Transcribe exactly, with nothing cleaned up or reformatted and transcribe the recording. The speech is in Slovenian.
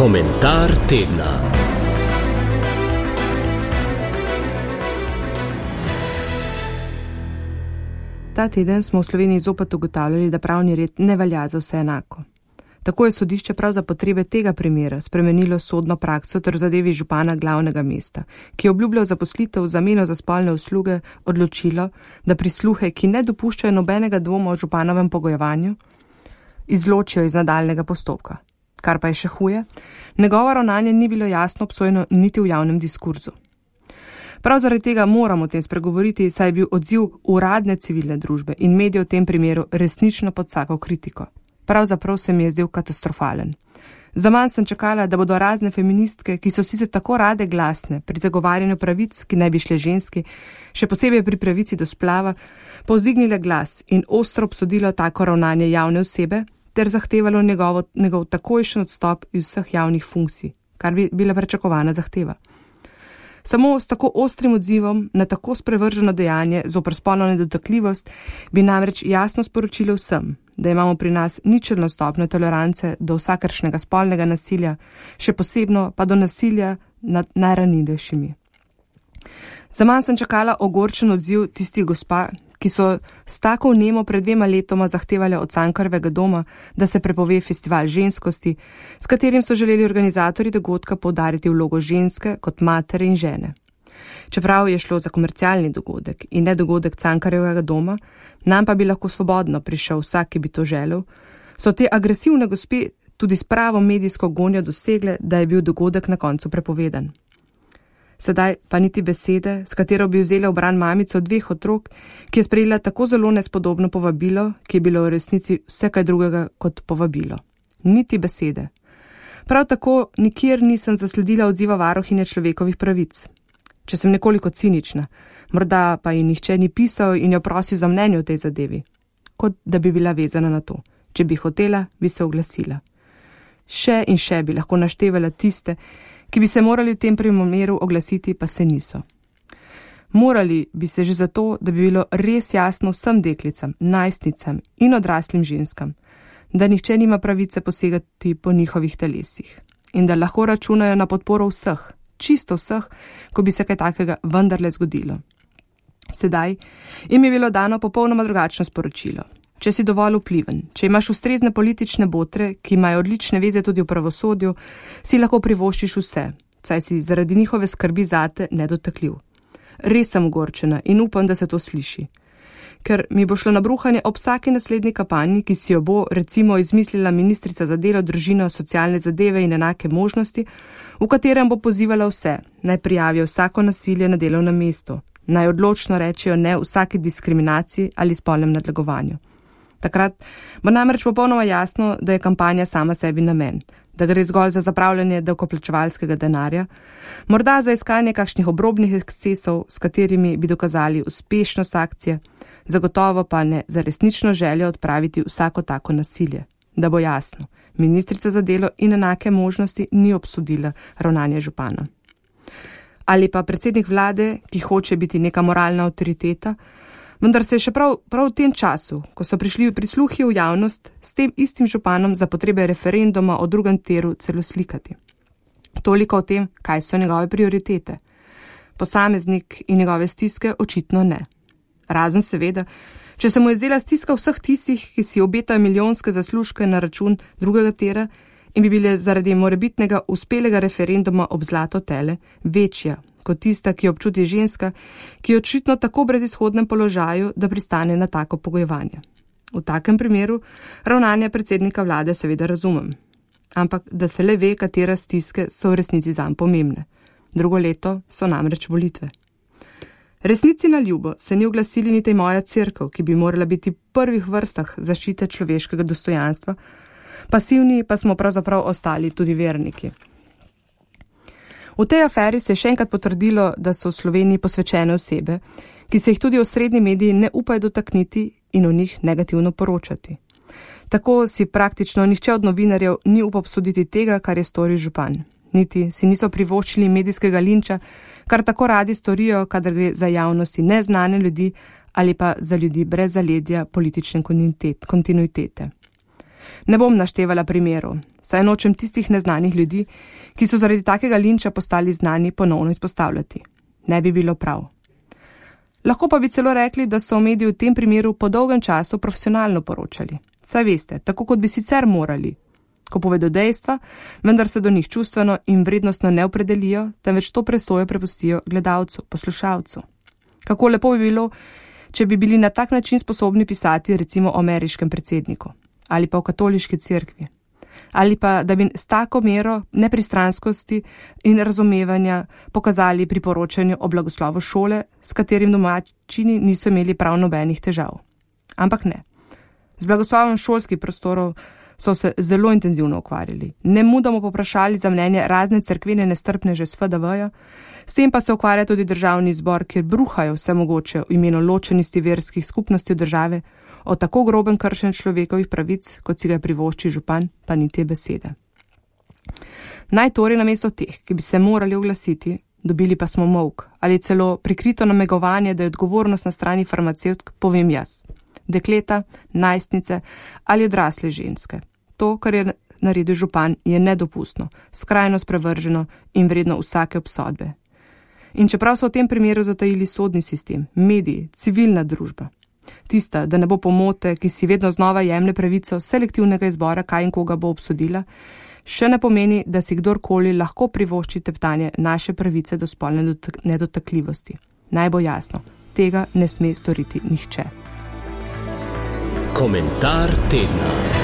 Komentar tedna. Ta teden smo v Sloveniji zopet ugotavljali, da pravni red ne velja za vse enako. Tako je sodišče prav za potrebe tega primera spremenilo sodno prakso ter v zadevi župana glavnega mesta, ki je obljubljal zaposlitev v zameno za spolne usluge, odločilo, da prisluhe, ki ne dopuščajo nobenega dvoma o županovem pogojevanju, izločijo iz nadaljnega postopka. Kar pa je še huje, njegovo ravnanje ni bilo jasno obsojeno niti v javnem diskurzu. Prav zaradi tega moramo o tem spregovoriti, saj je bil odziv uradne civilne družbe in medijev v tem primeru resnično pod vsako kritiko. Pravzaprav se mi je zdel katastrofalen. Zaman sem čakala, da bodo razne feministke, ki so sicer tako rade glasne pri zagovarjanju pravic, ki naj bi šle ženski, še posebej pri pravici do splava, povzdignile glas in ostro obsodilo tako ravnanje javne osebe ter zahtevalo njegovo, njegov takojšen odstop iz vseh javnih funkcij, kar bi bila pričakovana zahteva. Samo s tako ostrim odzivom na tako sprevrženo dejanje zoper spolno nedotakljivost bi namreč jasno sporočilo vsem, da imamo pri nas ničelno stopnjo tolerance do vsakršnega spolnega nasilja, še posebno pa do nasilja nad najranljivejšimi. Zaman sem čakala ogorčen odziv tistih gospa, ki so s tako vnemo pred dvema letoma zahtevali od Cankarjevega doma, da se prepove festival ženskosti, s katerim so želeli organizatorji dogodka poudariti vlogo ženske kot matere in žene. Čeprav je šlo za komercialni dogodek in ne dogodek Cankarjevega doma, nam pa bi lahko svobodno prišel vsak, ki bi to želel, so te agresivne gospe tudi s pravo medijsko gonjo dosegle, da je bil dogodek na koncu prepovedan. Sedaj pa niti besede, s katero bi vzela v bran mamico dveh otrok, ki je sprejela tako zelo nespodobno povabilo, ki je bilo v resnici vse kaj drugega kot povabilo. Niti besede. Prav tako nikjer nisem zasledila odziva varuhinje človekovih pravic. Če sem nekoliko cinična, morda pa ji nihče ni pisal in jo prosil za mnenje o tej zadevi, kot da bi bila vezana na to. Če bi hotela, bi se oglasila. Še in še bi lahko naštevala tiste, ki bi se morali v tem primeru oglasiti, pa se niso. Morali bi se že zato, da bi bilo res jasno vsem deklicam, najstnicam in odraslim ženskam, da nihče nima pravice posegati po njihovih telesih in da lahko računajo na podporo vseh, čisto vseh, ko bi se kaj takega vendarle zgodilo. Sedaj jim je bilo dano popolnoma drugačno sporočilo. Če si dovolj vpliven, če imaš ustrezne politične botre, ki imajo odlične veze tudi v pravosodju, si lahko privoščiš vse, saj si zaradi njihove skrbi zate nedotakljiv. Res sem ogorčena in upam, da se to sliši. Ker mi bo šlo na bruhanje ob vsaki naslednji kampanji, ki si jo bo recimo izmislila ministrica za delo, družino, socialne zadeve in enake možnosti, v katerem bo pozivala vse, naj prijavijo vsako nasilje na delovnem mestu, naj odločno rečejo ne vsaki diskriminaciji ali spolnem nadlegovanju. Takrat bo namreč popolnoma jasno, da je kampanja sama sebi namen, da gre zgolj za zapravljanje davkoplačevalskega denarja, morda za iskanje kakšnih obrobnih ekscesov, s katerimi bi dokazali uspešnost akcije, zagotovo pa ne za resnično željo odpraviti vsako tako nasilje. Da bo jasno, ministrica za delo in enake možnosti ni obsodila ravnanje župana. Ali pa predsednik vlade, ki hoče biti neka moralna avtoriteta, vendar se je še prav, prav v tem času, ko so prišli prisluhi v javnost, s tem istim županom za potrebe referenduma o drugem tiru celo slikati. Toliko o tem, kaj so njegove prioritete. Posameznik in njegove stiske očitno ne. Razen seveda, če se mu je zdela stiska vseh tistih, ki si obetajo milijonske zaslužke na račun drugega tira in bi bile zaradi morebitnega uspelega referenduma ob zlato tele večja kot tista, ki jo občuti ženska, ki je očitno tako brezizhodnem položaju, da pristane na tako pogojevanje. V takem primeru ravnanje predsednika vlade seveda razumem, ampak da se le ve, katera stiske so v resnici zanj pomembne. Drugo leto so namreč volitve. Resnici na ljubo se ni oglasili niti moja cerkev, ki bi morala biti v prvih vrstah zaščite človeškega dostojanstva, pasivni pa smo pravzaprav ostali tudi verniki. V tej aferi se je še enkrat potrdilo, da so v Sloveniji posvečene osebe, ki se jih tudi osrednji mediji ne upajo dotakniti in o njih negativno poročati. Tako si praktično nihče od novinarjev ni upal obsoditi tega, kar je storil župan. Niti si niso privoščili medijskega linča, kar tako radi storijo, kadar gre za javnosti neznane ljudi ali pa za ljudi brez zaledja politične kontinuitete. Ne bom naštevala primerov, saj nočem tistih neznanih ljudi, ki so zaradi takega linča postali znani, ponovno izpostavljati. Ne bi bilo prav. Lahko pa bi celo rekli, da so mediji v tem primeru po dolgem času profesionalno poročali. Saj veste, tako kot bi sicer morali, ko povedo dejstva, vendar se do njih čustveno in vrednostno ne opredelijo, temveč to presojo prepustijo gledalcu, poslušalcu. Kako lepo bi bilo, če bi bili na tak način sposobni pisati recimo o ameriškem predsedniku ali pa o katoliški cerkvi. Ali pa, da bi s tako mero nepristranskosti in razumevanja pokazali pri poročanju o blagoslovu šole, s katerim domačini niso imeli prav nobenih težav. Ampak ne. Z blagoslovom šolskih prostorov so se zelo intenzivno ukvarjali. Ne mudoma poprašali za mnenje razne cerkvene nestrpneže s F D V-ja, s tem pa se ukvarja tudi državni zbor, kjer bruhajo vse mogoče v imenu ločenosti verskih skupnosti v države, o tako groben kršenju človekovih pravic, kot si ga privošči župan, pa ni te besede. Naj torej namesto teh, ki bi se morali oglasiti, dobili pa smo molk ali celo prikrito namegovanje, da je odgovornost na strani farmacevtk, povem jaz. Dekleta, najstnice ali odrasle ženske. To, kar je naredil župan, je nedopustno, skrajno sprevrženo in vredno vsake obsodbe. In čeprav so v tem primeru zatajili sodni sistem, mediji, civilna družba, tista, da ne bo pomote, ki si vedno znova jemlje pravico selektivnega izbora, kaj in koga bo obsodila, še ne pomeni, da si kdorkoli lahko privošči teptanje naše pravice do spolne nedotakljivosti. Naj bo jasno, tega ne sme storiti nihče. Komentar tedna.